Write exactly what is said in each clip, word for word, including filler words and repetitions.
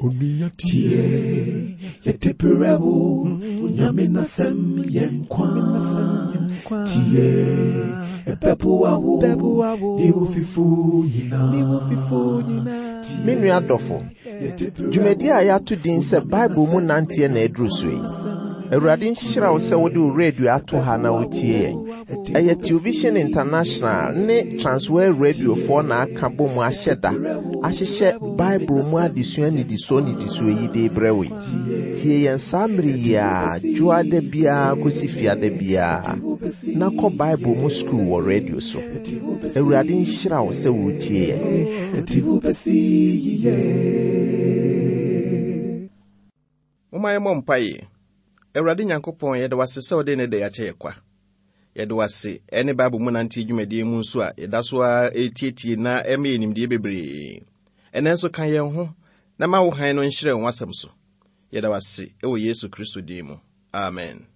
Tie, yɛde brɛ wo, Nyame n'asɛm yɛ nkwa. Tie, ɛbɛboa wo, ne wo fifo nyinaa. Me nua dɔfo, dwumadi a yɛato din sɛ Bible mu nanteɛ na aduru so yi. Awurade nhyira wo sɛ wode wo radio ato ha na wotie yɛn. Ɛyɛ Television International ne Transworld Radiofoɔ na aka bɔ mu ahyɛ da ahyehyɛ Bible mu adesua nnidisoɔ nnidisoɔ yi de brɛ wo yi. Tie yɛn saa mmere yi a dwoada biara kɔsi fiada biara na kɔ Bible mu sukuu wɔ radio so. Awurade nhyira wo sɛ wotie yɛn. Ɛde wo bɛsi yiye. Momma yɛmmɔ mpaeɛ. Awurade Nyankopɔn, yɛde wo ase sɛ wode ne da akyɛ yɛ kwa. Yɛde wo ase ɛne Bible mu nante dwumadie mu nso a yɛda so a ɛtietie na ɛma yɛ nimdeɛ bebree. Ɛnɛ nso ka yɛn ho na ma wo hann no nhyerɛn w'asɛm so. Yɛda wo ase ɛwɔ Yesu Kristo din mu. Amen.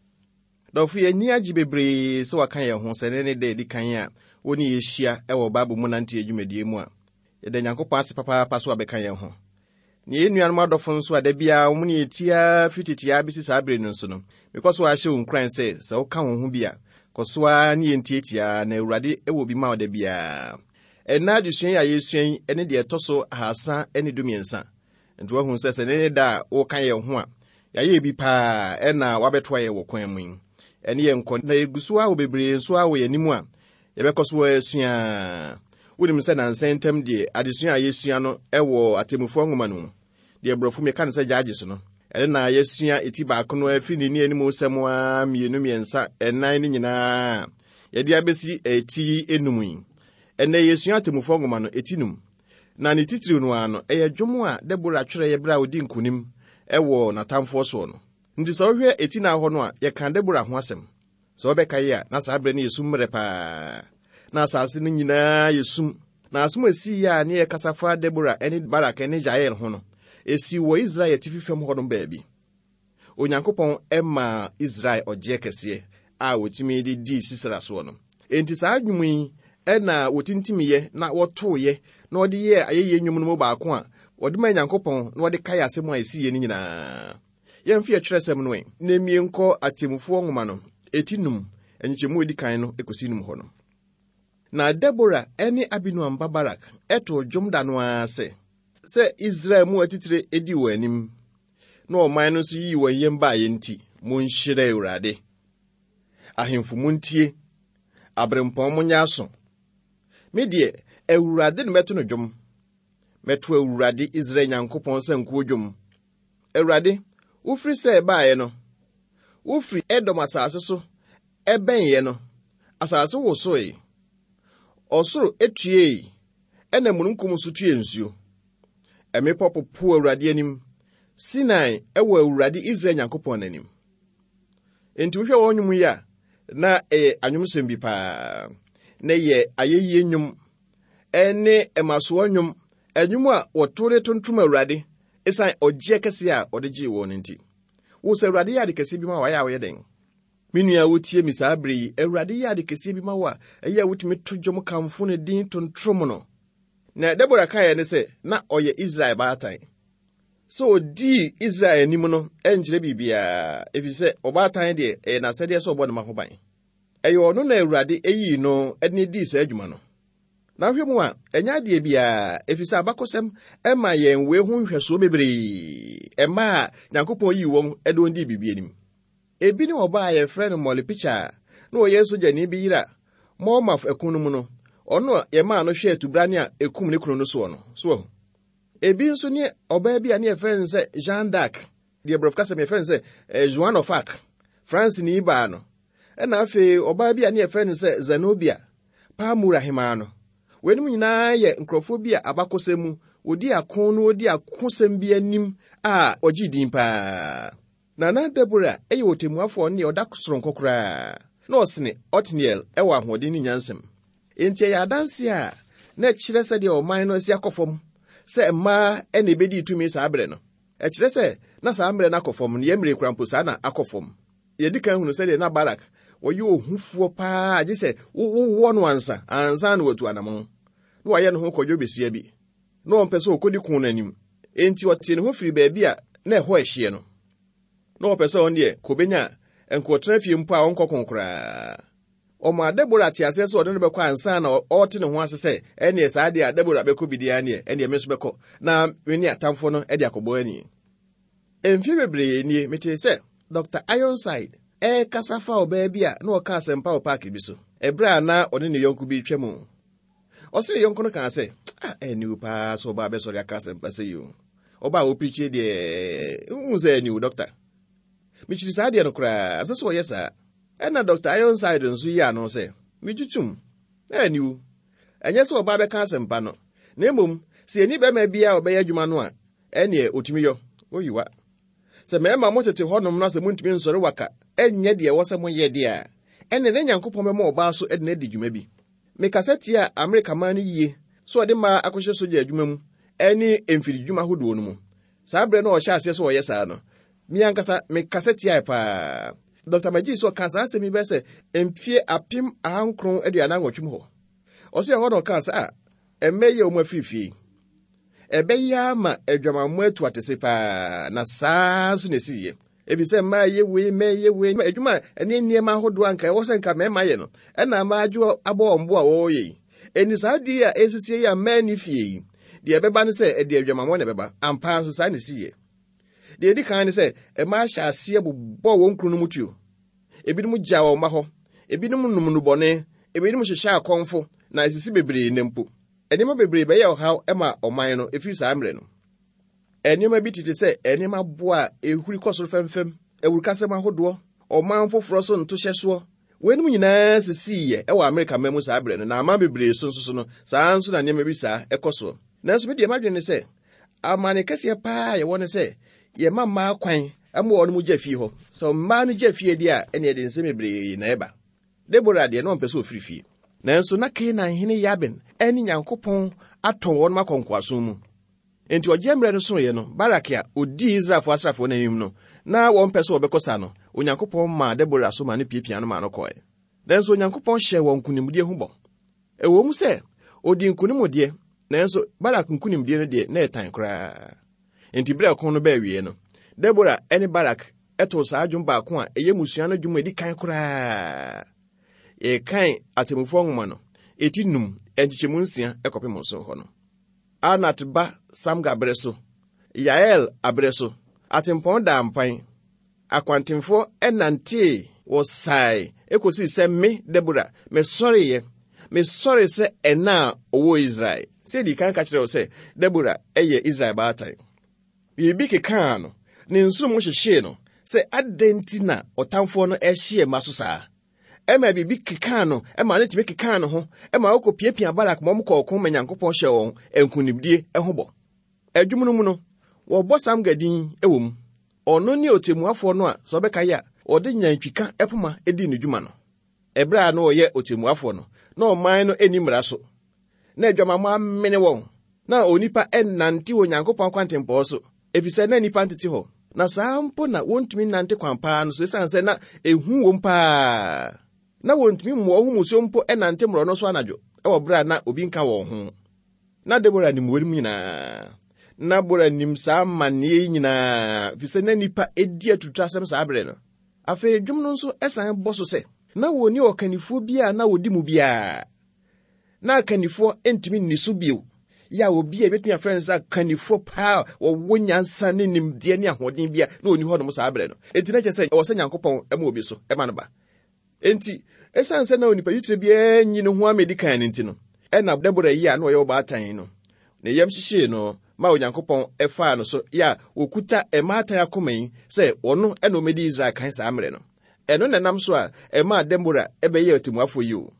Dɔfo, yɛn ani agye bebree sɛ waka yɛn ho sɛ ne ne da edi kan a wo ne yɛhyia ɛwɔ Bible mu nante dwumadie mu a yɛda Nyankopɔn ase papaapa so abɛka yɛn ho. Ne yɛn nuanom adɔfo nso a da biara wɔn ne yɛtia firi tete a bɛsi saa bere no nso no, mekɔ so ahyɛ wo nkuran sɛ sɛ woka wo ho bi a, kɔ so ara ne yɛn tietia na Awurade wɔ bi ma wo da biara. Ɛnna adesua yi a yɛsua yi ne deɛ ɛtɔ so ahasa ne dumiɛnsa. Nti woahu sɛ sɛ ne ne da a woka yɛn ho a, yɛayɛ bi paa ɛna wabɛtoa yɛn wɔ kwan mu yi. Ɛne yɛn nkɔ na yɛgu so a wɔ bebree nso a wɔ yɛn anim a yɛbɛkɔ so asua. Wonim sɛ nansa ntam deɛ adesua a yɛsua no ɛwɔ atemmufoɔ nwoma no mu. Deɛ borɔfo meka no sɛ Judges no. Ɛno na yɛsua eti baako no afiri ne ne anim sɛm a mmienu mmiɛnsa ɛnan no nyinaa. Yɛde abɛsi eti enum yi. Ɛnɛ yɛsua atemmufoɔ nwoma no eti num. Na ne titiriw no ara no ɛyɛ dwom a Debora twerɛeɛ berɛ a ɔdi nkonim ɛwɔ n'atamfoɔ soɔ no. Nti sɛ wohwɛ eti na hɔ no a yɛka Debora ho asɛm. Sɛ wobɛka yi a na saa berɛ no yɛ sum mmerɛ paa. Na asase no nyinaa yɛ sum. Na asɛm a esii a ne yɛkasa fa Debora ne Barak ne Jael ho no, esi wɔ Israel atifi fam hɔnom baabi. Onyankopɔn ɛmaa Israel ɔgyeɛ kɛseɛ a wɔtumi de dii Sisera soɔ no. Enti saa nnwom yi ɛna wɔtintimiiɛ na wɔtooyɛ na wɔde yɛɛ ayɛyie nnwom no mu baako a wɔde maa Nyankopɔn na wɔde kae asɛm a esiiɛ no nyinaa. Yɛmfa yɛtwerɛsɛm no ɛ na mmie nkɔ atemmufoɔ nwoma no eti num nkyekyɛmu a edi kan no ekosi num hɔ no. Na Debora ne Abinoam ba Barak ɛtoo dwom da no ara sɛ, sɛ Israel mu atitire edi wɔn anim, na ɔman no nso yii wɔn yam baeɛ nti, monhyira Awurade. Ahemfo montie, aberempɔn monyɛ aso. Me deɛ, Awurade na mɛto no dwom. Mɛto Awurade Israel Nyankopɔn sankuo dwom. Awurade, wofiri sɛ ɛbaeɛ no, wofiri Edom asase so ɛbɛnyɛ no, asase wosoe. Ɔsoro etuei, ɛna mununkum nso tue nsuo. Mmepɔ popo Awurade anim. Sinai ɛwɔ Awurade Israel Nyankopɔn n'anim. Enti wohwɛ wɔn nnwom yi a, na ɛyɛ anwomsɛm bi paa. Na ɛyɛ ayɛyie nnwom, ɛne ɛmasoɔ nnwom, ɛnwom a wɔto de tontom Awurade ɛsiane ɔgyeɛ kɛseɛ a ɔde gyee wɔn no nti. Wo sɛ Awurade yɛ ade kɛseɛ bi ma wo, ayɛ a woyɛ dɛn? Me nua wotie mi saa bere yi, Awurade yɛ ade kɛseɛ bi ma wo a, ɛyɛ a wotumi to dwom kamfo ne din tontrom no. Na Debora kaeɛ ne sɛ, na ɔyɛ Israel baatan. Sɛ ɔdii Israel anim no ɛnkyerɛ biribiara, ɛfiri sɛ ɔbaatan deɛ ɛyɛ n'asɛdeɛ sɛ ɔbɔ ne ma ho ban. Ɛyɛ ɔno na Awurade eyii no de ne dii saa adwuma no. Na wohwɛ mu a, ɛnyɛ adeɛ biara, ɛfiri sɛ abakɔsɛm ɛma yɛn wei ho nhwɛsoɔ bebree. Ɛma a Nyankopɔn yii wɔn de wɔn dii biribi anim. Ebi ne ɔbaa a yɛfrɛ no Molly Pitcher a na ɔyɛ sogyani bi yere a Monmouth ɛko no mu no, ɔno a yɛmaa no hwɛɛ tubrane a ekum ne kunu no soɔ no. So wahu. Ebi nso ne ɔbaa bi a ne yɛfrɛ no sɛ Jeanne d'Arc, deɛ borɔfo kasa mu yɛfrɛ no sɛ eh, Joan of Arc, France ni baa no. Ɛna afei ɔbaa bi a ne yɛfrɛ no sɛ Zenobia, Palmyra hemaa no. Weinom nyinaa yɛ nkurɔfoɔ bi a abakɔsɛm mu wɔdi ako no wɔdi akosɛm bi anim a ɔgye din paa. Na na Debora yɛ ɔtemmuafoɔ ne ɔda soronko koraa na ɔsene Otniel ɛwɔ ahoɔden ne nyansam. Enti ɛyɛ adanse a na ɛkyerɛ sɛdeɛ ɔman no asi akɔ fam sɛ mmaa ɛna ebedi tumi saa berɛ no. Ɛkyerɛ sɛ na saa mmerɛ no akɔ fam no, yɛn mmerɛ kura mpo saa na akɔ fam. Yɛdi kan hunu sɛdeɛ na Barak wɔyɛ ohufoɔ paa gye sɛ wowɔ no ansa ansa na watu anammɔn. Na wayɛ ne ho kɔdwo besia bi. Na ɔmpɛ sɛ ɔkɔdi ko no anim. Enti ɔtee ne ho firi baabi a na ɛhɔ ɛhyeɛ no. Na ɔpɛ sɛ ɔno deɛ kɔbɛnya nkɔtena fie mpo a ɔnkɔ ko koraa. Ɔmaa Debora te aseɛ sɛ ɔde no bɛkɔ ansa na ɔte ne ho ase sɛ ɛneɛ saa deɛ a Debora bɛkɔ bi deɛ neɛ ɛneɛ me nso bɛkɔ na me ne atamfoɔ no de akɔbɔ ani. Mfie bebree nie metee sɛ Doctor Ironside ɛrekasa fa ɔbaa bi a na ɔka asɛmpa wɔ paaki bi so ɛberɛ a na ɔne ne yɔnko bi twa mu. Ɔse ne yɔnko no kaa sɛ, ah, ɛniw paa sɛ ɔbaa bɛsɔre aka asɛmpa sɛ yi o. Ɔbaa a ɔpirikyi deɛ, wohu sɛ ɛniw, dɔkta. Mekyiri saa deɛ no koraa, ɛsɛ sɛ ɔyɛ saa. Ɛna Doctor Ironside nso yi ano sɛ, megye tom, ɛniw. Ɛnyɛ sɛ ɔbaa bɛka asɛmpa no, na mmom, sɛ yɛni bɛrima biara a ɔbɛyɛ adwuma no a, ɛneɛ ɔtumi yɔ, oyiwa. Sɛ mmarima motete hɔnom na sɛ montumi nsɔre waka, ɛnyɛ deɛ ɛwɔ sɛ moyɛ deɛ a, ɛne ne Nyankopɔn bɛma ɔbaa so de no adi dwuma bi. Mekasa tia Amerika man no yie sɛ ɔde mmaa akɔhyɛ sogya adwuma mu ɛne mfiridwuma ahodoɔ no mu. Saa berɛ no a ɔhyɛ aseɛ sɛ ɔyɛ saa no, me ankasa mekasa tiae paa. Doctor Magee sɛ ɔka saa asɛm yi bɛyɛ sɛ mfie apem ahankron aduanan nwɔtwe mu hɔ. Ɔsɛ ɛhɔ na ɔkaa sɛ, a, ɛmmɛ yɛ wɔn afiri fie. Ɛbɛyɛ ama adwamammɔ atu atese paa, na saa nso na ɛsiiɛ. Ɛfiri sɛ mmaa yɛ wei, mmaa yɛ wei, adwuma a ɛne nneɛma ahodoɔ anka ɛwɔ sɛ nka mmarima yɛ no, ɛna mmaa adwo abɔ wɔn bo a wɔreyɛ yi. Ɛnni saa adeɛ a ɛsisi yi a mmaa nni fie yi, deɛ ɛbɛba ne sɛ ɛde adwamammɔ na ɛbɛba. Ampa nso saa na ɛsiiɛ. Deɛ ɛdi kan ne sɛ mmaa hyɛ aseɛ bobɔ wɔn kunu no mu tuo. Ebinom gya wɔn mma hɔ, ebinom nom nnubɔne, ebinom hyehyɛ akɔmfo, na esisi bebree nnɛ mpo. Nneɛma bebree bɛyɛ ɔhaw ma ɔman no ɛfiri saa mmerɛ no. Nneɛma bi tete sɛ nneɛma boa a ɛhuri kɔ soro fɛmfɛm, awurukasɛm ahodoɔ, ɔman foforɔ so ntohyɛsoɔ. Weinom nyinaa sisiiɛ ɛwɔ Amerika man mu saa berɛ no, na aman bebree so nso so no, saa nso na nneɛma bi saa ɛkɔ soɔ. Nanso me deɛ m'adwene ne sɛ, amane kɛseɛ paa a yɛwɔ ne sɛ, yɛma mmaa kwan ma wɔn mu gya fie hɔ. Sɛ mmaa no gya fie deɛ a, ɛneɛ de nsɛm bebree na ɛba. Debora deɛ na ɔmpɛ sɛ ɔfiri fie. Nanso na Kanaan hene Yabin ɛne Nyankopɔn atɔn wɔn akɔ nkoasom mu. Enti ɔgye mmerɛ no soeɛ no, Barak a odii Israelfoɔ asraafoɔ no anim no, na wɔmpɛ sɛ wɔbɛkɔ sa no, Onyankopɔn maa Debora so maa no piapia no maa no kɔe. Nanso Onyankopɔn hyɛɛ wɔn nkonimdie ho bɔ. Ɛwɔ mu sɛ ɔdii nkonim deɛ, nanso Barak nkonimdie no deɛ na ɛtan koraa. Enti berɛ a ɔko no baa awie no, Debora ne Barak ɛtoo saa dwom baako a ɛyɛ mmusua no dwom a ɛdi kan koraa. Yɛkan Atemmufoɔ nwoma no, ɛti num, nkyekyɛmu nsia ɛkɔpem nson hɔ no. Anat ba Samgar berɛ so, Yael aberɛ so, atempɔn daa mpan, akwantemfoɔ ɛnantee wɔ sae ɛkɔsii sɛ me Debora mesɔreeɛ, mesɔre sɛ ɛna a ɔwɔ Israel. Sɛ yɛdi kan ka kyerɛ wo sɛ Debora ɛyɛ Israel baatan. Biribi kekaa no, ne nsono mu hyehyee no sɛ adɛn nti na ɔtamfoɔ no ɛhyeɛ mma so saa. Ɛma biribi kekaa no, ɛma ne tumi kekaa ne ho, ɛma ɔkɔ piapia Barak ma ɔmo kɔɔ ɔko ma Nyankopɔn hyɛɛ wɔn nkonimdie ho bɔ. Adwum no mu no, wɔbɔ Samgar din wɔ mu. Ɔno ne otemmuafoɔ no a sɛ ɔbɛka yɛ a, ɔde nyantwika poma dii ne dwuma no. Ɛberɛ a na ɔyɛ otemmuafoɔ no, na ɔman no nni mmara so. Na adwamammɔ amene wɔn. Na onipa ɛnnante wɔ Nyankopɔn kwantempɔn so, efisɛ na nnipa ntete hɔ. Na saa mpo na wɔntumi nnante kwan paa no so, esiane sɛ na ehu wɔm paa. Na wɔntumi mmoa wɔn ho mmusuo mpo ɛnante mmorɔno so anadwo, ɛwɔ berɛ a na obi nka wɔn ho. Na Debora nim wɔn nyinaa. Na Debora nim saa amanneɛ yi nyinaa, efisɛ na nnipa edi atuturasɛm saa berɛ no. Afei dwom no nso ɛsan bɔ so sɛ, na wɔnni ɔkannifoɔ bi a na wɔdi mu biara. Na akannifoɔ ntumi nni so bio. Yɛ a obi a ebetumi afrɛ no sɛ akannifoɔ paa a wɔwɔ nyansa ne nimdeɛ ne ahoɔden bia na ɔnni hɔnom saa berɛ no. Enti na kyerɛ sɛ ɛwɔ sɛ Nyankopɔn ma obi so ɛma no ba. Enti, ɛsiane sɛ na onipa titire biara nyi ne ho amedi kan no nti no, ɛna Debora yi a na ɔyɛ ɔbaatan no, ne yam hyehyee no ma Onyankopɔn ɛfaa no so yɛ a wɔkuta mmaatan akoma yi sɛ ɔno ɛna ɔmmɛdi Israel kan saa mmerɛ no. Ɛno na ɛnam so a ɛmaa Debora ɛbɛyɛɛ ɔtemmuafoɔ yi o.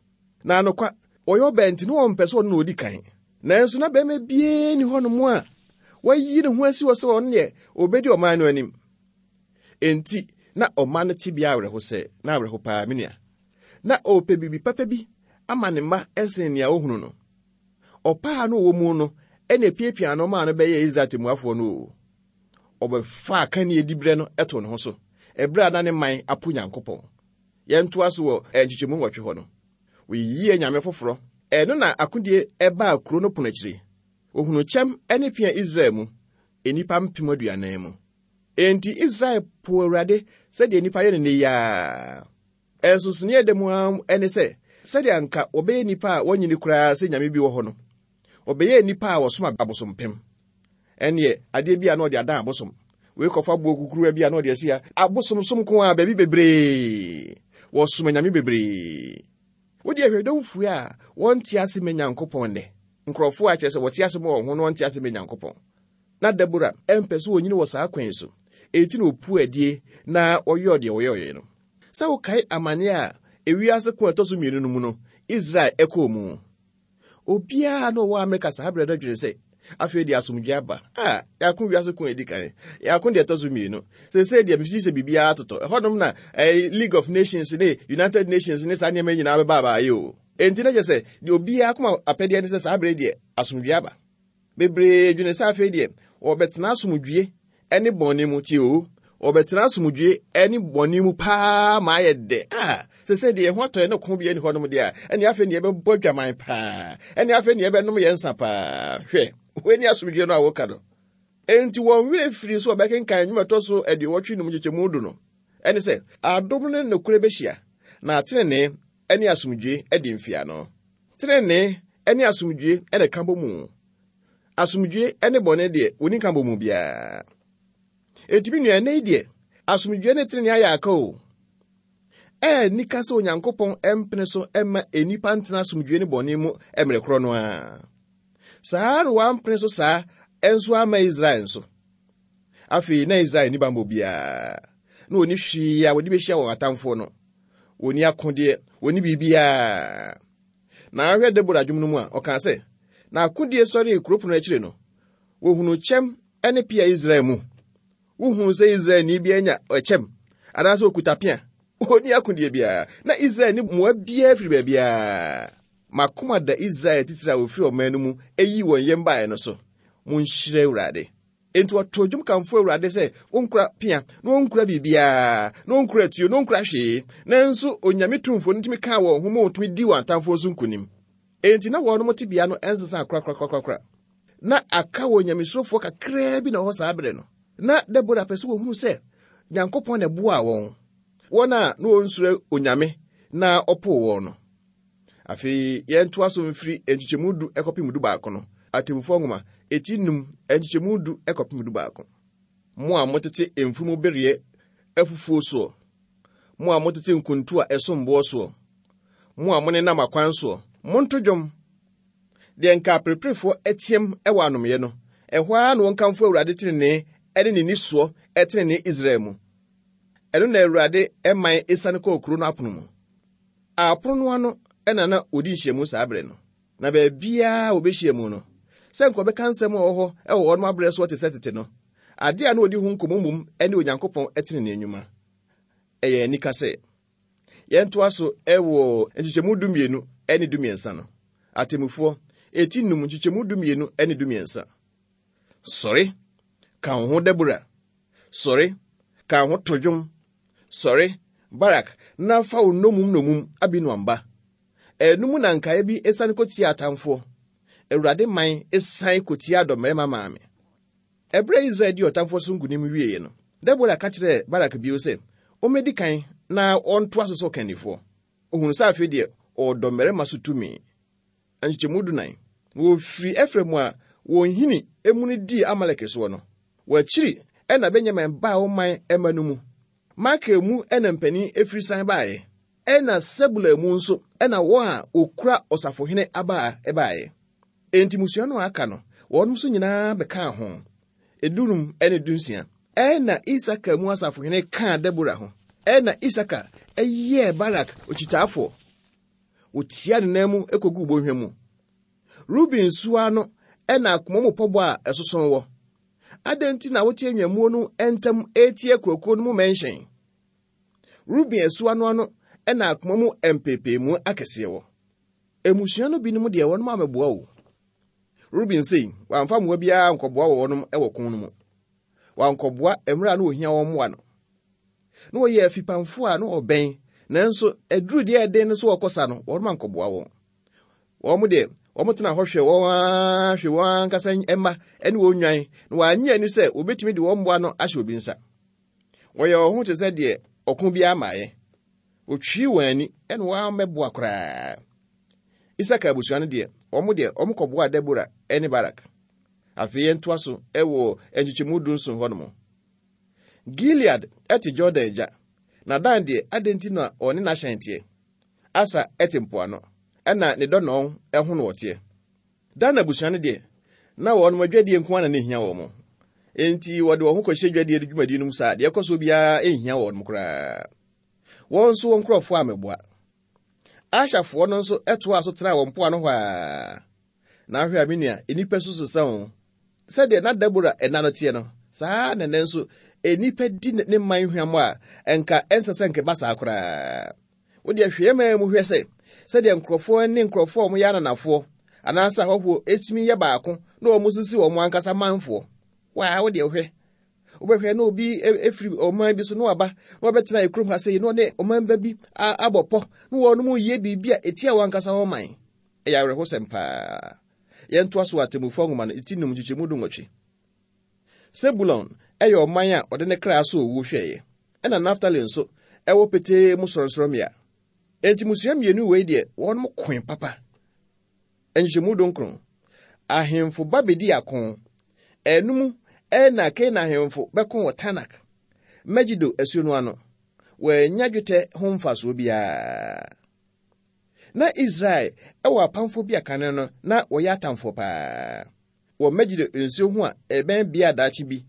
Na anokwa, ɔyɛ ɔbaa nti na ɔmpɛ sɛ ɔno na ɔdi kan. Nanso na bɛrima biara nni hɔnom a wayi ne ho asi hɔ sɛ ɔno deɛ ɔbɛdi ɔman no anim. Enti na ɔman no tebea awerɛho sɛ, na awerɛho paa, me nua. Na ɔrepɛ biribi papa bi ama ne mma ɛsen nea ɔhunu no. Ɔpaa no wɔ mu no, ɛna epiapia no maa no bɛyɛɛ Israel temmuafoɔ no o. Ɔbɛfaa kanea diberɛ no ɛtoo ne ho so, ɛberɛ a na ne man apo Nyankopɔn. Yɛntoa so wɔ nkyekyɛmu nwɔtwe hɔ no. Wɔyiyii anyame foforɔ. Ɛno na akodie ɛbaa kuro no pono akyiri. Ohunu kyɛm ne pia Israel mu. nnipa mpem aduanan mu. Enti Israel po Awurade sɛdeɛ nnipa yɛ no nnɛ yi ara. Ɛnsonsonoeɛ da mu ara ne sɛ, sɛdeɛ anka wɔbɛyɛ nnipa a wɔnyini koraa sɛ nyame bi wɔ hɔ no, wɔbɛyɛ nnipa a wɔsom abosompem. Ɛneɛ adeɛ bi a na ɔde adan abosom. Wei kɔfa boɔ kukuruwa bi a na ɔde asi ha. Abosomsom ko a baabi bebree. Wɔsom anyame bebree. Wode ahwɛ dɔmfue a wɔnte ase ma Nyankopɔn nnɛ. Nkurɔfoɔ a kyerɛ sɛ wɔte ase ma wɔn ho na wɔnte ase ma Nyankopɔn. Na Debora ɛmpɛ sɛ wɔnyini wɔ saa kwan so. Enti na ɔpu adie na ɔyɔɔ deɛ ɔyɔeɛ no. Sɛ wokae amanneɛ a ewiase ko a ɛtɔ so mmienu no mu no, Israel ɛkɔɔ mu. Obiara na ɔwɔ Amerika saa berɛ no adwene sɛ afei deɛ asomdwe aba. A yɛako wiase ko a ɛdi kan, yɛako deɛ ɛtɔ so mmienu. Seesei deɛ mefiri sɛ biribiara totɔ. Ɛhɔnom na eh, League of Nations ne United Nations ne saa nneɛma nyinaa bɛba abaayɛ o. Enti na kyerɛ sɛ deɛ obiara koma apɛdeɛ ne sɛ saa berɛ deɛ asomdwe aba. Bebree dwene sɛ afei deɛ wɔbɛtena asomdwie ne bɔne mu tie o. Wɔbɛtena asomdwie ne bɔne mu paa ma ayɛ dɛ. A sɛ deɛ ɛho atɔ yɛ ne ko bi ani hɔnom deɛ a, ɛne afei ne yɛbɛbɔ dwaman paa. Ɛne afei ne yɛbɛnom yɛn nsa paa. Hwɛ, wei ne asomdwie no a woka no. Enti wɔn werɛ firi so wɔbɛkenkan nnwuma ɛtɔ so aduɔwɔtwe num nkyekyɛmu du no. Ɛne sɛ, adom ne nokorɛ bɛhyia, na tenenee ne asomdwie adi mfiano. Tenenee ne asomdwie na ɛka bɔ mu. Asomdwie ne bɔne deɛ, wɔnni nka bɔ mu biara. Enti me nua, ɛnnɛ yi deɛ, asomdwie ne tenenee ayɛ aka o. Ɛyɛ nika sɛ Onyankopɔn mpene so mma nnipa ntena asomdwie ne bɔne mu mmerɛ korɔ no ara. Saa na wampene so saa nso ama Israel nso. Afei na Israel ni bammɔ biara. Na wɔnni hwee a wɔde bɛhyia wɔn atamfoɔ no. Wɔnni akodeɛ, wɔnni biribiara. Na ahwɛ Debora dwom no mu a, ɔkaa sɛ, na akodie sɔree kuro pono akyire no, wɔhunu kyɛm ne pea Israel mu. Wohunu sɛ Israelni bi anya ɛkyɛm anaasɛ okuta pea. Ɔnni akodie biara. Na Israel ni mmoa biara firi baabiara. Makoma da Israel titire a wɔfiri ɔman no mu eyi wɔn yam baeɛ no so. Monhyira Awurade. Enti wɔtoo dwom kamfo Awurade sɛ wɔnkura pea, na wɔnkura biribiara, na wɔnkura tuo, na wɔnkura hwee. Nanso Onyame tumfoɔ no tumi kaa wɔn ho ma wɔtumi dii wɔn atamfoɔ so nkonim. Enti na wɔnom tebea no ɛnsesa korakorakorakora. Na aka wɔ nyamesurofoɔ kakraa bi na ɔhɔ saa berɛ no. Na Debora pɛ sɛ wɔhunu sɛ Nyankopɔn na ɛboaa wɔn. Wɔn a na wɔnsuro Onyame na ɔpoo wɔn no. Afei yɛntoa so mfiri nkyekyɛmu du ɛkɔpem du baako no. Atemmufoɔ nwoma eti num nkyekyɛmu du ɛkɔpem du baako. Mo a motete mfunumu bereɛ afufuo soɔ, mo a motete nkuntu a ɛsom boɔ soɔ, mo a monenam akwan soɔ, monto dwom. Deɛ nka apereperefoɔ ateam wɔ anomyɛ no, ɛhɔ ara na wɔnkamfo Awurade tenenee ne ne nisoɔ tenenee Israel mu. Ɛno na Awurade man esiane kɔɔ kuro no apono mu. Apono no ano na na wɔdi nhyiamu saa berɛ no. Na baabiara a wɔbɛhyia mu no, sɛ nka wɔbɛka nsɛm a ɛwɔ hɔ wɔ wɔn abrɛ soɔ te sɛ tete no, adeɛ a na wɔdi ho nkɔmmɔ mmom ne Onyankopɔn tenenee nnwuma. Ɛyɛ anika sɛ yɛntoa so wɔ nkyekyɛmu dumienu ne dumiɛnsa no. Atemmufoɔ eti num nkyekyɛmu dumienu ne dumiɛnsa. Sɔre, ka wo ho Debora. Sɔre, ka wo ho to dwom. Sɔre, Barak, na fa wo nnommum nnommum Abinoam ba. Ɛno mu na nkaeɛ bi esiane kɔtia atamfoɔ. Awurade man esiane kɔtia dɔmmarima maame. Ɛberɛ a Israel dii ɔtamfoɔ so nkonim wieeɛ no, Debora ka kyerɛɛ Barak bio sɛ, ɔmmɛdi kan na ɔntoa so sɛ ɔkannifoɔ. Ohunu sɛ afei deɛ ɔwɔ dɔmmarima so tumi. Nkyekyɛmu dunan. Na wɔfiri Efraim a wɔn hini emu no dii Amalek soɔ no. Wɔakyiri ɛna Benyamin baa ɔman ɛma no mu. Makir mu ɛna mpanin efiri san baeɛ. Ɛna Sebulon mu nso ɛna wɔn a wɔkura ɔsafohene abaa ɛbaeɛ. Enti mmusua no a aka no, wɔn nso nyinaa bɛkaa ho. Edunum ɛne dunsia. Ɛna Isakar mu asafohene kaa Debora ho. Ɛna Isakar ɛyɛɛ Barak okyitaafoɔ. Wotia ne nan mu ekoguu bɔnhwa mu. Ruben nsuwa no ɛna akoma mu pɔbɔ a ɛsoso wɔ. Adɛn nti na wote nnwammuo no ntam etie akuakuo no mu mmɛnhyɛn? Ruben asuwa no ano ɛna akoma mu mpeepeemu akɛseɛ wɔ. Mmusua no binom deɛ wɔnom amɛboa o. Ruben sei, wamfa mmoa biara nkɔboa wɔ wɔnom wɔ ko no mu. Wankɔboa mmerɛ a na ohia wɔn mmoa no. Na wɔyɛ afipamfoɔ a na wɔbɛn, nanso aduru deɛ ɛden no so wɔkɔsa no, wɔnom ankɔboa wɔn. Wɔn deɛ, Wɔn tena hɔ hwɛ wɔn ara hwɛ wɔn ankasa mma ne wɔn nnwan, na wɔannye ani sɛ wɔbɛtumi de wɔn mmoa no ahyɛ obi nsa. Wɔyɛ wɔn ho te sɛ deɛ ɔko biara mmaeɛ. Wɔtwii wɔn ani ɛna wɔammɛboa koraa. Isakar abusua no deɛ, wɔn deɛ wɔn kɔboaa Debora ne Barak. Afei yɛntoa so wɔ nkyekyɛmu dunson hɔnom. Gilead te Jordan agya, na Dan deɛ, adɛn nti na ɔne n'ahyɛn teɛ? Asa te mpoano, ɛna ne dɔnɔn ho na wɔteɛ. Dan abusua no deɛ, na wɔn adwadie nko ara na na ehia wɔn. Enti wɔde wɔn ho kɔhyɛ dwadie dwumadi no mu saa, deɛ ɛkɔ so biara nhia wɔn koraa. Wɔn nso wɔn nkurɔfoɔ ammɛboa. Ashafoɔ no nso toaa so tenaa wɔn mpoano hɔ a. Na ahwɛ a me nua, nnipa so sesa o. Sɛdeɛ na Debora ɛna no teɛ no, saa na ɛnɛ nso nnipa di ne man hwam a ɛnka ɛnsɛ sɛ nkɛba saa koraa. Wodeɛ hwɛ man mu hwɛ sɛ sɛdeɛ nkurɔfoɔ ne nkurɔfoɔ a wɔyɛ ananafoɔ anaasɛ ahɔhoɔ ɛtumi yɛ baako na wɔn sisi wɔn ankasa manfoɔ. Waa, wodeɛ hwɛ. Wobɛhwɛ na obi efiri ɔman bi so na waba na wabɛtena ekurom ha sɛ na ɔne ɔman ba bi abɔ pɔ na wɔn mu yɛ biribi a etia wɔn ankasa wɔn man. Ɛyɛ awerɛhosɛm paa. Yɛntoa so wɔ atemmufoɔ nwoma no ti num nkyekyɛmu du nwɔtwe. Sebulon ɛyɛ ɔman a ɔde ne kra so owu hwɛeɛ, ɛna Naftali nso ɛwɔ petee mu sorɔnsorɔmmea. Enti mmusua mmienu wei deɛ wɔn koe papa. Nkyekyɛmu dunkron. Ahemfo ba bedi ako. Ɛnum ɛna Kanaan ahemfo bɛko wɔ Tanak, Megido asuo no ano. Wɔanya dwetɛ ho mfasoɔ biara. Na Israel ɛwɔ apamfoɔ bi a kane no na wɔyɛ atamfoɔ paa. Wɔ Megido nsuo ho a ɛbɛn bea daakye bi,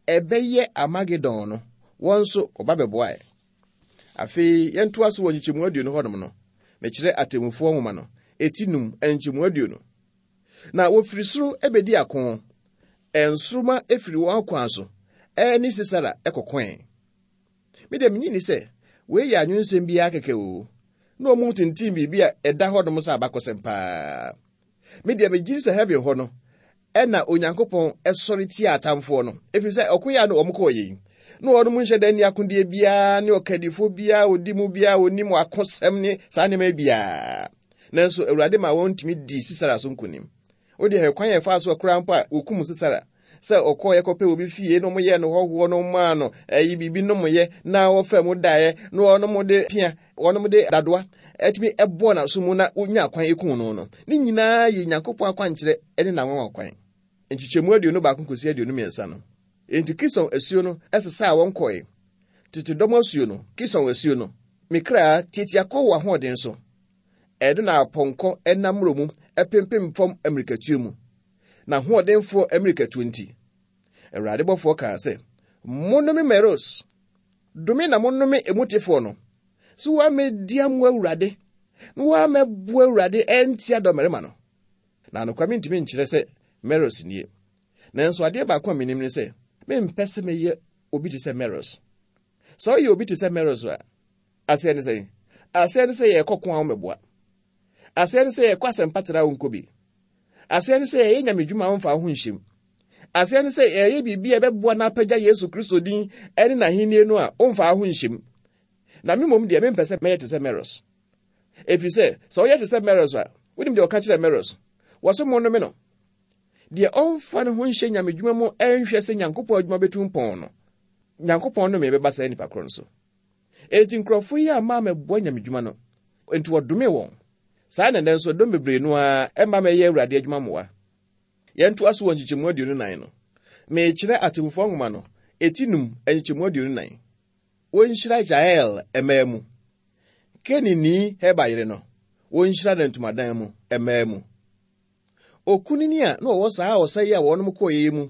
ɛbɛyɛ Armagedon no, wɔn nso wɔba bɛboae. Afei yɛntoa so wɔ nkyekyɛmu aduonu hɔnom no, mekyerɛ atemmufoɔ nwoma no, eti num nkyekyɛmu aduonu. Na wɔfiri soro bɛdi ako. Nsoromma efiri wɔn akwan so ɛne Sisera ɛkɔkoe. Me deɛ menyi ni sɛ wei yɛ anwensɛm biara kɛkɛ o. Na ɔmo tintim biribi a ɛda hɔnom sɛ abakɔsɛm paa. Me deɛ megye sɛ heaven hɔ no ɛna Onyankopɔn ɛsɔre tia atamfoɔ no. Ɛfiri sɛ ɔko yɛ a na ɔmo kɔɔ yɛn. Na wɔnom nhyɛ da nni akodeɛ biara ne ɔkadifoɔ biara ɔdi mu biara ɔnim akosɛm ne saa nneɛma biara. Nanso Awurade ma wɔn ntumi dii Sisera so nkonim. Wode hwɛ kwan yɛ fa so koraa mpo a wɔkum Sisera sɛ ɔkɔɔ yɛkɔpɛ obi fie na ɔmoyɛɛ no hɔhoɔ no maa no ɛyi biribi nomyɛ na wɔfɛ mu daeɛ na wɔnom de pia wɔnom de dadoa ɛtumi ɛbɔɔ n'aso mu na wonya kwan ekum no no. Ne nyinaa yɛ Nyankopɔn akwankyerɛ ɛne n'anwanwa kwan. Nkyekyɛmu aduonu baako kɔsi aduonu mmiɛnsa no. Enti Kison asuo no ɛsesaa wɔn kɔe. Tete dɔm asuo no, Kison asuo no, me kra tiatia kɔ wɔ ahoɔden so. Ɛno na apɔnkɔ ɛnam mmorɔ mu ɛpempem fam ammirikatuo mu. Na ahoɔdenfoɔ ammirikatuo nti, Awurade bɔfoɔ kaa sɛ, monnome Meros, dome na monnome emutefoɔ no, sɛ wɔammɛdi amoa Awurade, na wɔammɛboa Awurade ɛntia dɔmmarima no. Na anokwa mentumi nkyerɛ sɛ Meros nie. Nanso adeɛ baako a menim ne sɛ, mempɛ sɛ meyɛ obi te sɛ Meros. Sɛ ɔyɛ obi te sɛ Meros a, aseɛ ne sɛn? Aseɛ ne sɛ yɛkɔ ko a wɔmmɛboa. Aseɛ ne sɛ yɛkɔ asɛmpatera a wonkɔ bi. Aseɛ ne sɛ yɛyɛ nyamedwuma a womfa wo ho nhyɛm. Aseɛ ne sɛ yɛyɛ biribi a ɛbɛboa na apagya Yesu Kristo din ne n'ahenni no a womfa wo ho nhyɛm. Na me mmom deɛ mempɛ sɛ mɛyɛ te sɛ Meros. Ɛfiri sɛ, sɛ woyɛ te sɛ Meros a, wonim deɛ ɔka kyerɛ Meros. Wɔso monnome no. Deɛ ɔmfa ne ho nhyɛ nyamedwuma mu ɛnhwɛ sɛ Nyankopɔn adwuma bɛtu mpɔn no, Nyankopɔn nnome bɛba saa nnipa korɔ no so. Enti nkurɔfoɔ yi amma ammɛboa nyamedwuma no, enti wɔdome wɔn. Saa na ɛnnɛ nso dɔm bebree no ara ɛmma mɛyɛ Awurade adwuma mmoa. Yɛntoa so wɔ nkyekyɛmu aduonu nan no. Mekyerɛ atemmufoɔ nwoma no, eti num nkyekyɛmu aduonu nan. Wɔnhyira Jael mmaa mu. Kenini Heber yere no, wɔnhyira no ntomadan mu mmaa mu. Okunini a na ɔwɔ saa ɔsa yi a wɔnom kɔɔ yi mu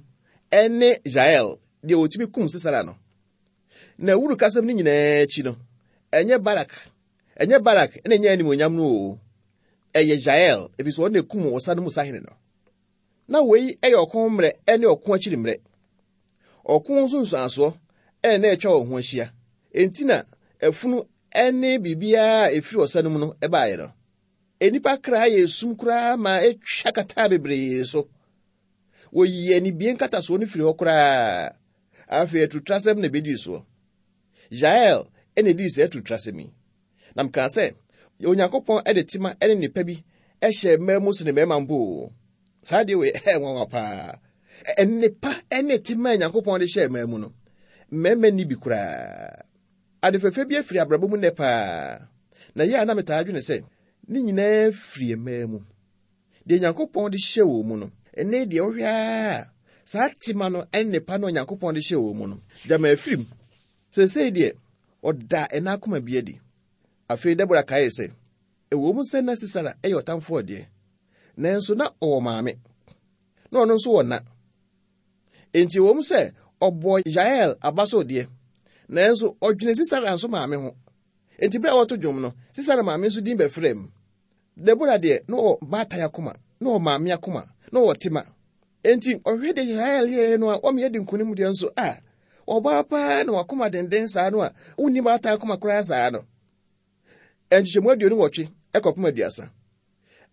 ɛne Jael, deɛ wɔtumi kum Sisera no. Na wuru kasɛm no nyinaa akyi no, ɛnyɛ Barak, ɛnyɛ Barak na ɛnyɛ animuonyam no o. Ɛyɛ Jael, ɛfiri sɛ ɔno na ekum ɔsa no mu sahene no. Na wei ɛyɛ ɔko mmerɛ ɛne ɔko akyiri mmerɛ. Ɔko nso nsuansoɔ ɛna na atwa wɔn ho ahyia. Enti na afunu ɛne biribiara a ɛfiri ɔsa no mu no ɛbaeɛ no. Nnipa kra yɛ esum koraa ma atwa kataa bebree so. Wɔyii anibie nkatasoɔ no firi hɔ koraa. Afei atutrasɛm na ebedii soɔ. Jael ɛna edii saa atutrasɛm yi. Na mekaa sɛ, Onyankopɔn ɛde tema ɛne nnipa bi hyɛ mmaa mu sene mmarima mpo o. Saa deɛ wei ɛyɛ nwanwa paa. Nnepa ne tema a Nyankopɔn de hyɛɛ mmaa mu no, mmarima nni bi koraa. Ade fɛfɛ bi afiri abrabɔ mu nnɛ paa. Na yɛ a na metaa dwene sɛ, ne nyinaa firi mmaa mu. Deɛ Nyankopɔn de hyɛ wɔn mu no, ɛnnɛ deɛ wohwɛ a, saa tema no ne nnepa no a Nyankopɔn de hyɛ wɔn mu no, gyama afiri mu. Seesei deɛ, ɔda ɛna akoma bi adi. Afei Debora kaee sɛ, ɛwɔ mu sɛ na Sisera yɛ ɔtamfoɔ deɛ, nanso na ɔwɔ maame, na ɔno nso wɔ na. Enti ɛwɔ mu sɛ ɔbɔ Yael aba so deɛ, nanso ɔdwene Sisera nso maame ho. Enti bere a wɔto dwom no, Sisera maame nso din bɛfrɛ mu. Debora deɛ, na ɔwɔ baatan akoma, na ɔwɔ maame akoma, na ɔwɔ tema. Enti ɔhwɛ deɛ Yael yɛɛ no a ɔmeyɛ de nkonim deɛ nso a, ɔbaa paa na wakoma denden saa no a, wonni baatan akoma koraa saa no. Nkyekyɛmu aduonu nwɔtwe ɛkɔpem aduasa.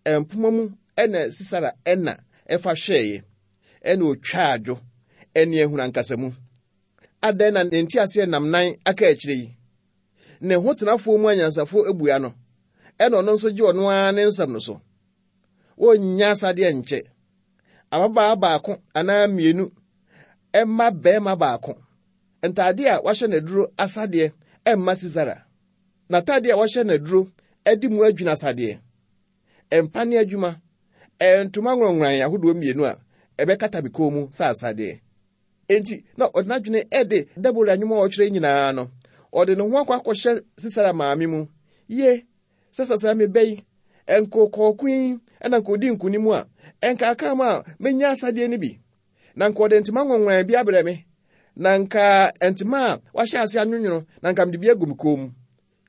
Mpoma mu ɛna Sisera ɛna ɛfa hwɛeɛ, ɛna otwa adwo, ɛne ehunu ankasa mu. Adɛn na ne nteaseɛ nam nan aka akyire yi? Ne ho tenafoɔ mu anyansafoɔ ebua no, ɛna ɔno nso gye ɔno ara ne nsɛm no so. Wonnya asadeɛ nkyɛ. Ababaa baako anaa mmienu ɛma bɛrima baako. Ntaade a wahyɛ n'aduro asadeɛ ɛmma Sisera. N'ataade a wahyɛ n'aduro ɛde mu adwina asadeɛ. Mpa ne adwuma, ntoma nworɔnworan ahodoɔ mmienu a ɛbɛkata me kɔn mu sɛ asadeɛ. Enti na ɔde n'adwene ɛde Debora nnwom a ɔtwerɛ nyinaa no, ɔde ne ho akɔ akɔhyɛ Sisera maame mu. Ye, sɛ sasra me bɛ yi, nkɔkɔɔko yi ɛna nka odi nkonim a, ɛnka aka mu a menya asadeɛ no bi. Na nka ɔde ntoma nworɔnworan bi abrɛ me. Na nka ntoma a wahyɛ ase anwonwono, na nka mede bi agu me kɔn mu.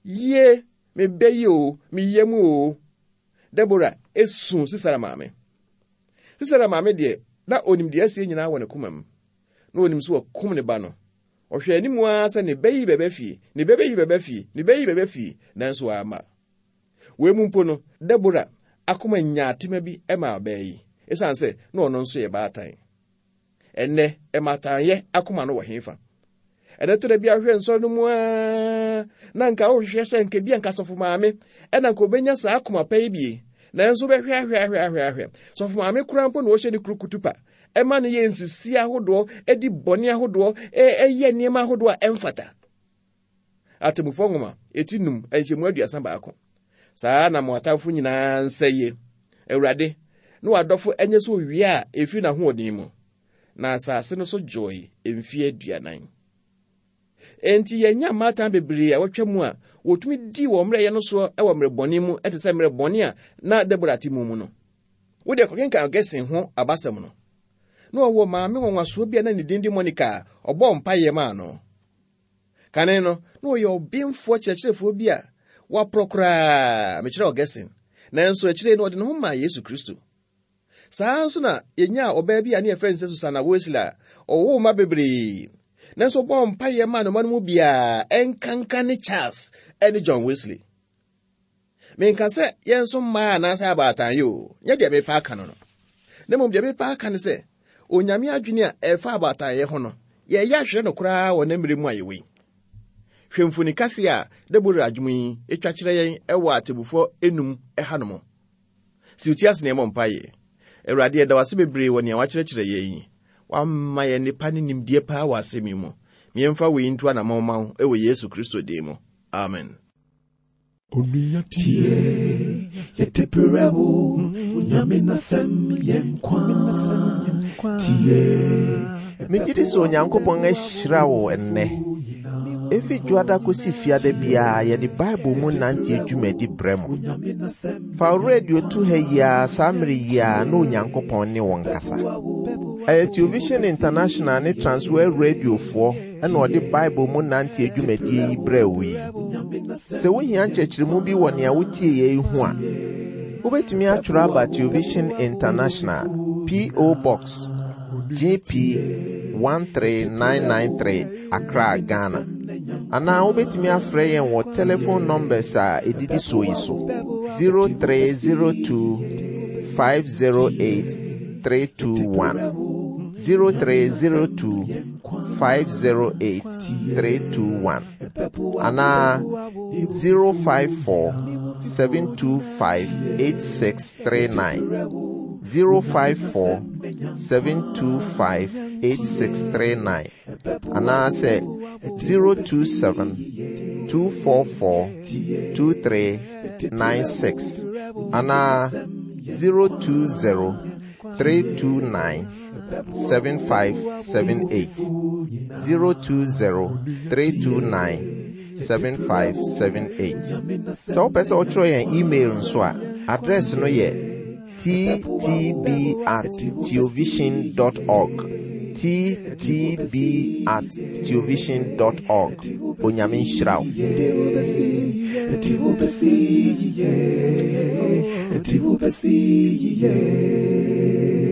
Ye, me bɛ yi o, me yam o. Debora esu Sisera maame. Sisera maame deɛ, na onim deɛ asie nyinaa wɔ ne koma mu. Na onim sɛ wakum ne ba no. Ɔhwɛ anim ara sɛ ne bɛ yi bɛbɛ fie, ne bɛ bɛyi bɛbɛ fie, ne bɛ yi bɛbɛ fie, nanso wamma. Wei mu mpo no, Debora akoma nyaa tema bi ma ɔbaa yi, esiane sɛ na ɔno nso yɛ baatan. Ɛnnɛ, ɛmatanyɛ akoma no wɔ hefa? Ɛnɛ tɔ da bi ahwɛ nsɔre no mu ara, na nka wohwehwɛ sɛ nka bi anka sɔfo maame, ɛna nka obenya saa akoma pa yi bie. Nanso wobɛhwɛ ahwɛ ahwɛ ahwɛ ahwɛ. Sɔfo maame koraa mpo na ɔhyɛ ne kuru kutupa. Ɛma no yɛ nsisi ahodoɔ, ɛdi bɔne ahodoɔ, ɛyɛ nneɛma ahodoɔ a ɛmfata. Atemmufoɔ nwoma, eti num, nhyɛmu aduasa baako. Saa na mo atamfo nyinaa nsɛye. Awurade, na w'adɔfo ɛnyɛ sɛ owia a ɛfiri n'ahoɔden mu. Na asase no so dwoe mfeɛ aduanan. Enti yɛnya mmaatan bebree a wɔatwa mu a wɔtumi di wɔn mmerɛyɛ no soɔ wɔ mmerɛ bɔne mu te sɛ mmerɛ bɔne a na Debora te mu mu no. Wode kɔkenkan Augustine ho abasɛm no. Na ɔwɔ maame nwanwasoɔ bi a na ne din de Monica a ɔbɔɔ mpaeɛ maa no. Kane no, na ɔyɛ ɔbenfoɔ kyerɛkyerɛfoɔ bi a waporɔ koraa, mekyerɛ Augustine. Nanso akyire no ɔde ne ho maa Yesu Kristo. Saa nso na yɛnyaa ɔbaa bi a ne yɛfrɛ no sɛ Susanna Wesley a ɔwoo mma bebree. Nanso ɔbɔɔ mpaeɛ maa ne mma no mu biara, ɛnkanka ne Charles ne John Wesley. Menka sɛ yɛn nso mmaa anaasɛ abaatan yi o, nyɛ deɛ mepa aka no no. Na mmom deɛ mepa aka ne sɛ, Onyame adwene a ɛfa abaatanyɛ ho no, yɛyɛ ahwere no koraa wɔ ne mmerɛ mu a yɛwɔ yi. Hwɛ mfoni kɛseɛ a Debora adwom yi atwa kyerɛ yɛn ɛwɔ atemmufoɔ enum ɛha no mu. Si wo ti ase na yɛmmɔ mpaeɛ. Awurade, yɛda wo ase bebree wɔ nea wakyerɛkyerɛ yɛn yi. Wama yɛn nnepa ne nimdeɛ paa wɔ asɛm yi mu. Miɛmfa wei nto anammɔn ma wo ɛwɔ Yesu Kristo din mu. Amen. Onua tie, yɛde brɛ wo, Nyame n'asɛm yɛ nkwa. Tie, Megye di sɛ Onyankopɔn ahyira wo ɛnnɛ. Efi dwoada kɔsi fiada biara yɛde Bible mu nante dwumadi brɛ mo. Fa wo radio to ha yi ara saa mmere yi ara na Onyankopɔn ne wo nkasa. Ɛyɛ Television International ne Transworld Radiofoɔ ɛna ɔde Bible mu nante dwumadie yi brɛ wo yi. Sɛ wohia nkyerɛkyerɛmu bi wɔ nea wotie yɛ yi ho a, wobɛtumi atwerɛ aba Television International, P O. Box G P one three nine nine three, Accra, Ghana. Anaa wobɛtumi afrɛ yɛn wɔ telephone numbers a ɛdidi soɔ yi so: zero three zero two five zero eight three two one, zero three zero two five zero eight three two one, anaa zero five four seven two five eight six three nine zero five four seven two five eight six three nine anaasɛ zero two seven two four four two three nine six anaa zero two zero three two nine seven five seven eight zero two zero three two nine seven five seven eight. Sɛ wopɛ sɛ wotwerɛ yɛn email nso a, address no yɛ ttb at theovision dot org ttb at theovision dot org. Onyame nhyira wo. Ɛti wobɛsi yie.